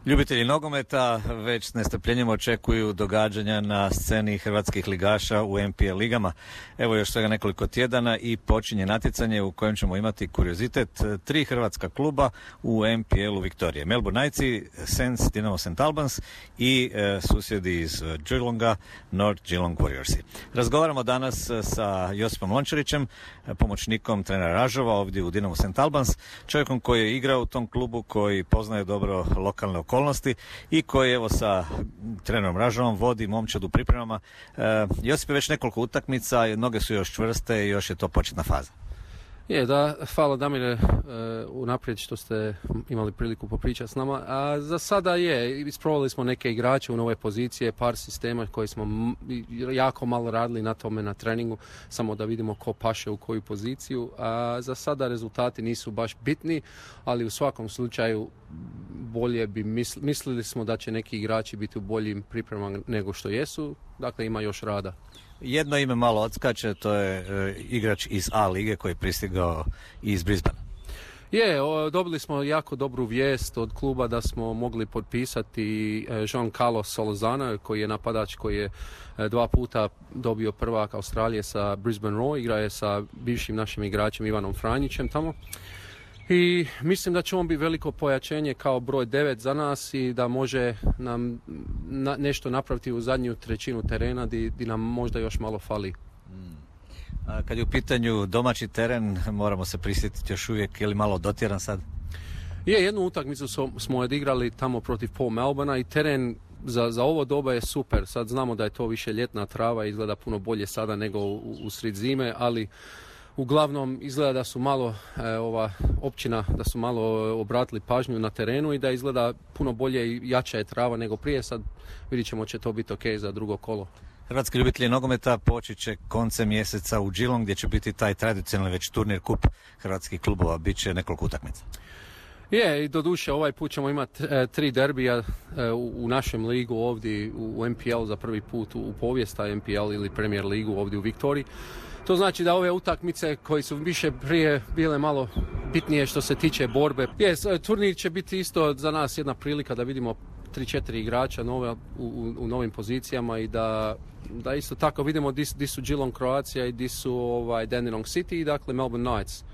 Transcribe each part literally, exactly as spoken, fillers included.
Ljubitelji nogometa već s nestrpljenjem očekuju događanja na sceni hrvatskih ligaša u N P L ligama. Evo još svega nekoliko tjedana i počinje natjecanje u kojem ćemo imati kuriozitet tri hrvatska kluba u N P L-u Viktorije. Melbourne Knightsi, Saints, Dinamo Saint Albans i e, susjedi iz Geelonga, North Geelong Warriorsi. Razgovaramo danas sa Josipom Lončarićem, pomoćnikom trenera Ražova ovdje u Dinamo Saint Albans, čovjekom koji je igrao u tom klubu, koji poznaje dobro lokalne okolnosti i koji evo sa trenerom Ražovom vodi momčad u pripremama. E, Josip je već nekoliko utakmica, noge su još čvrste i još je to početna faza. Je, da, hvala Damire uh, unaprijed što ste imali priliku popričati s nama. A za sada je, isprobali smo neke igrače u nove pozicije, par sistema koji smo m- jako malo radili na tome na treningu, samo da vidimo ko paše u koju poziciju. A za sada rezultati nisu baš bitni, ali u svakom slučaju bolje bi misli, mislili smo da će neki igrači biti u boljim pripremama nego što jesu, dakle ima još rada. Jedno ime malo odskače, to je e, igrač iz A lige koji je pristigao iz Brisbanea. Je, o, dobili smo jako dobru vijest od kluba da smo mogli potpisati e, Jean Carlos Solozana, koji je napadač koji je e, dva puta dobio prvak Australije sa Brisbane Roar, igra je sa bivšim našim igračem Ivanom Franjićem tamo. I mislim da će on biti veliko pojačenje kao broj devet za nas i da može nam na, nešto napraviti u zadnju trećinu terena di, di nam možda još malo fali. Hmm. A kad je u pitanju domaći teren, moramo se prisjetiti još uvijek, je li malo dotjeran sad? Je, jednu utakmicu smo odigrali tamo protiv Port Melbournea i teren za, za ovo doba je super. Sad znamo da je to više ljetna trava, izgleda puno bolje sada nego u, u sred zime, ali uglavnom izgleda da su malo e, ova općina, da su malo obratili pažnju na terenu i da izgleda puno bolje i jača je trava nego prije. Sad vidit ćemo će to biti ok za drugo kolo. Hrvatski ljubitelji nogometa počet će koncem mjeseca u Geelong gdje će biti taj tradicionalni već turnir kup hrvatskih klubova, bit će nekoliko utakmica. Je, i doduše ovaj put ćemo imati e, tri derbija e, u, u našem ligu ovdje u, u N P L za prvi put u, u povijesta N P L ili Premier ligu ovdje u Viktoriji. To znači da ove utakmice koje su više prije bile malo bitnije što se tiče borbe. Yes, turnir će biti isto za nas jedna prilika da vidimo tri četiri igrača nove u, u, u novim pozicijama i da, da isto tako vidimo di, di su Geelong Croatia i di su ovaj, Dandenong City i dakle Melbourne Knights.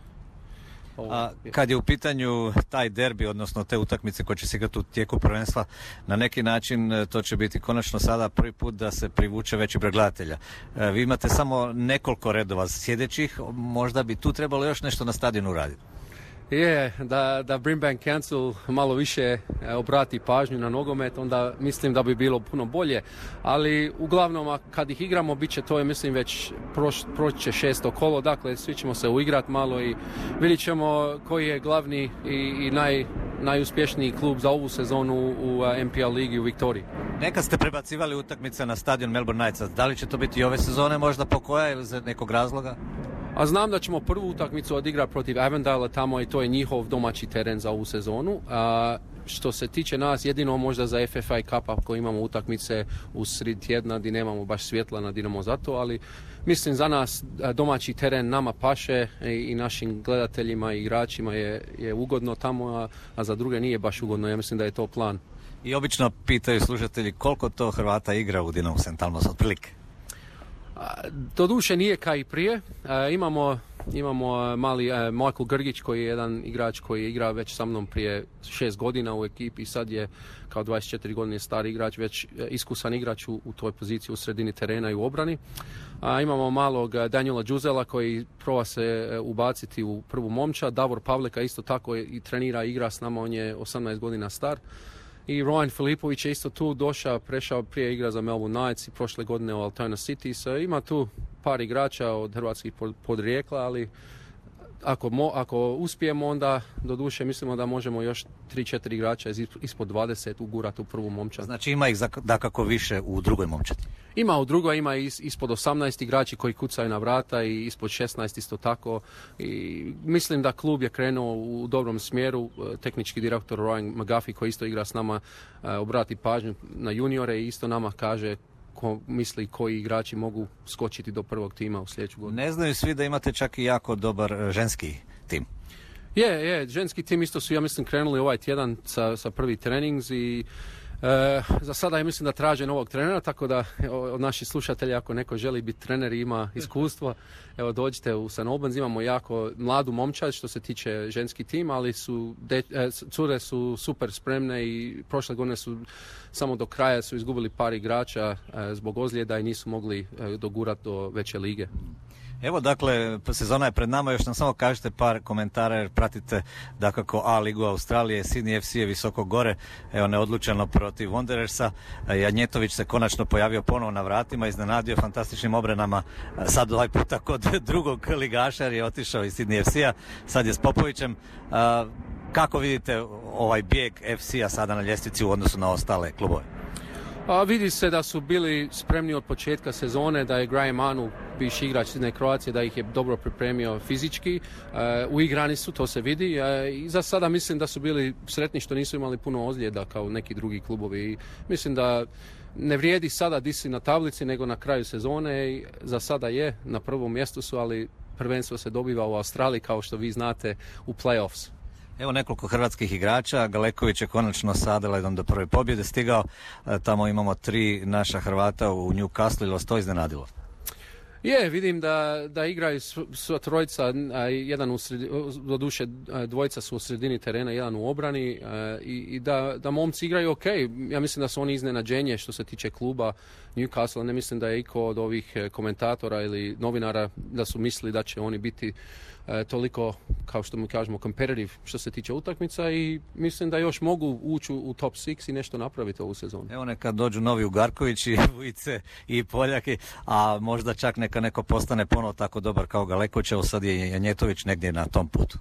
A kad je u pitanju taj derbi, odnosno te utakmice koje će se igrati u tijeku prvenstva, na neki način to će biti konačno sada prvi put da se privuče veći broj gledatelja. Vi imate samo nekoliko redova sjedećih, možda bi tu trebalo još nešto na stadionu raditi. Je, da, da Brimbank Council malo više obrati pažnju na nogomet, onda mislim da bi bilo puno bolje, ali uglavnom kad ih igramo bit će to je mislim već proć, proći će šesto kolo, dakle svi ćemo se uigrat malo i vidit ćemo koji je glavni i, i naj, najuspješniji klub za ovu sezonu u N P L ligi u Viktoriji. Nekad ste prebacivali utakmice na stadion Melbourne Knightsa, da li će to biti i ove sezone možda po koja ili za nekog razloga? A znam da ćemo prvu utakmicu odigrati protiv Avondale tamo i to je njihov domaći teren za ovu sezonu. A što se tiče nas, jedino možda za F F A Cup ako imamo utakmice u sred tjedna gdje nemamo baš svjetla na Dinamo zato, ali mislim za nas domaći teren nama paše i našim gledateljima i igračima je, je ugodno tamo, a, a za druge nije baš ugodno. Ja mislim da je to plan. I obično pitaju slušatelji koliko to Hrvata igra u Dinamo Saint Albans otprilike? Doduše nije kao i prije. E, imamo, imamo mali e, Michael Grgić koji je jedan igrač koji igra već sa mnom prije šest godina u ekipi i sad je kao dvadeset četiri godine stari igrač, već iskusan igrač u, u toj poziciji u sredini terena i u obrani. A, imamo malog Daniela Đuzela koji proba se ubaciti u prvu momčad. Davor Pavleka isto tako i trenira i igra s nama, on je osamnaest godina star. I Ryan Filipović je isto tu došao, prešao prije igra za Melbourne Knights i prošle godine u Altona City. So, ima tu par igrača od hrvatskih podrijekla, ali ako, mo, ako uspijemo onda doduše mislimo da možemo još tri četiri igrača iz, ispod dvadeset ugurati u prvu momčad. Znači ima ih dakako više u drugoj momčadi? Ima u drugoj, ima is, ispod osamnaest igrači koji kucaju na vrata i ispod šesnaest isto tako. I mislim da klub je krenuo u dobrom smjeru. Tehnički direktor Ryan McGuffey koji isto igra s nama obrati pažnju na juniore i isto nama kaže ko misli koji igrači mogu skočiti do prvog tima u sljedeću godinu. Ne znaju svi da imate čak i jako dobar ženski tim. Je, je, ženski tim isto su, ja mislim, krenuli ovaj tjedan sa, sa prvi trenings i e, za sada ja mislim da traže novog trenera, tako da od naših slušatelja ako neko želi biti trener i ima iskustvo, evo dođite u Saint Albans, imamo jako mladu momčad što se tiče ženski tim, ali su de, e, cure su super spremne i prošle godine su samo do kraja su izgubili par igrača e, zbog ozljeda i nisu mogli e, dogurati do veće lige. Evo dakle, sezona je pred nama, još nam samo kažete par komentara jer pratite dakako A ligu Australije, Sydney F C je visoko gore, evo neodlučeno protiv Wanderersa, Janjetović se konačno pojavio ponovo na vratima, iznenadio fantastičnim obranama, sad ovaj puta kod drugog ligaša jer je otišao iz Sydney F C-a, sad je s Popovićem. Kako vidite ovaj bijeg F C-a sada na ljestvici u odnosu na ostale klubove? A vidi se da su bili spremni od početka sezone, da je Graham Arnold, bivši igrač Sidney Croacije, da ih je dobro pripremio fizički. E, uigrani su, to se vidi. E, I za sada mislim da su bili sretni što nisu imali puno ozljeda kao neki drugi klubovi. I mislim da ne vrijedi sada di si na tablici, nego na kraju sezone. I za sada je, na prvom mjestu su, ali prvenstvo se dobiva u Australiji, kao što vi znate, u play-offs. Evo nekoliko hrvatskih igrača, Galeković je konačno sa Adelaidom do prve pobjede stigao, tamo imamo tri naša Hrvata u Newcastle, ili vas to iznenadilo? Je, vidim da, da igraju sva trojica, jedan u sredini, doduše dvojica su u sredini terena, jedan u obrani i, i da, da momci igraju ok. Ja mislim da su oni iznenađenje što se tiče kluba Newcastle, ne mislim da je iko od ovih komentatora ili novinara da su mislili da će oni biti e, toliko, kao što mi kažemo, competitive što se tiče utakmica i mislim da još mogu ući u top šest i nešto napraviti ovu sezonu. Evo neka dođu novi Ugarković i Vujice i Poljaki, a možda čak neka neko postane ponovo tako dobar kao Galeković, evo sad je Janjetović negdje na tom putu.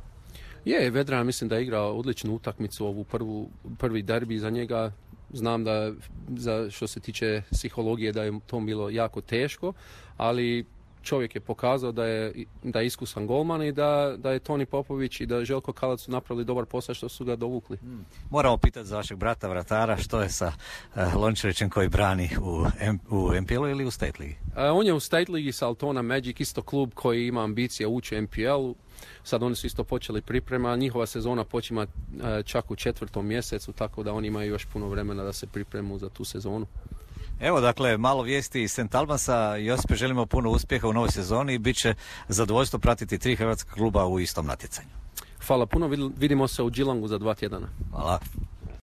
Je, Vedran mislim da je igrao odličnu utakmicu, ovu prvu, prvi derbi za njega. Znam da za što se tiče psihologije da je to bilo jako teško, ali čovjek je pokazao da je, da je iskusan golman i da, da je Toni Popović i da je Željko Kalac su napravili dobar posao što su ga dovukli. Hmm. Moramo pitati za vašeg brata vratara što je sa uh, Lončevićem koji brani u, M, u M P L-u ili u State Ligi? Uh, on je u State Ligi sa Altona Magic, isto klub koji ima ambicije ući u M P L-u. Sad oni su isto počeli priprema, njihova sezona počima uh, čak u četvrtom mjesecu, tako da oni imaju još puno vremena da se pripremu za tu sezonu. Evo dakle, malo vijesti iz Saint Albansa. Josipe, želimo puno uspjeha u novoj sezoni i bit će zadovoljstvo pratiti tri hrvatska kluba u istom natjecanju. Hvala puno, vidimo se u Geelongu za dva tjedana. Hvala.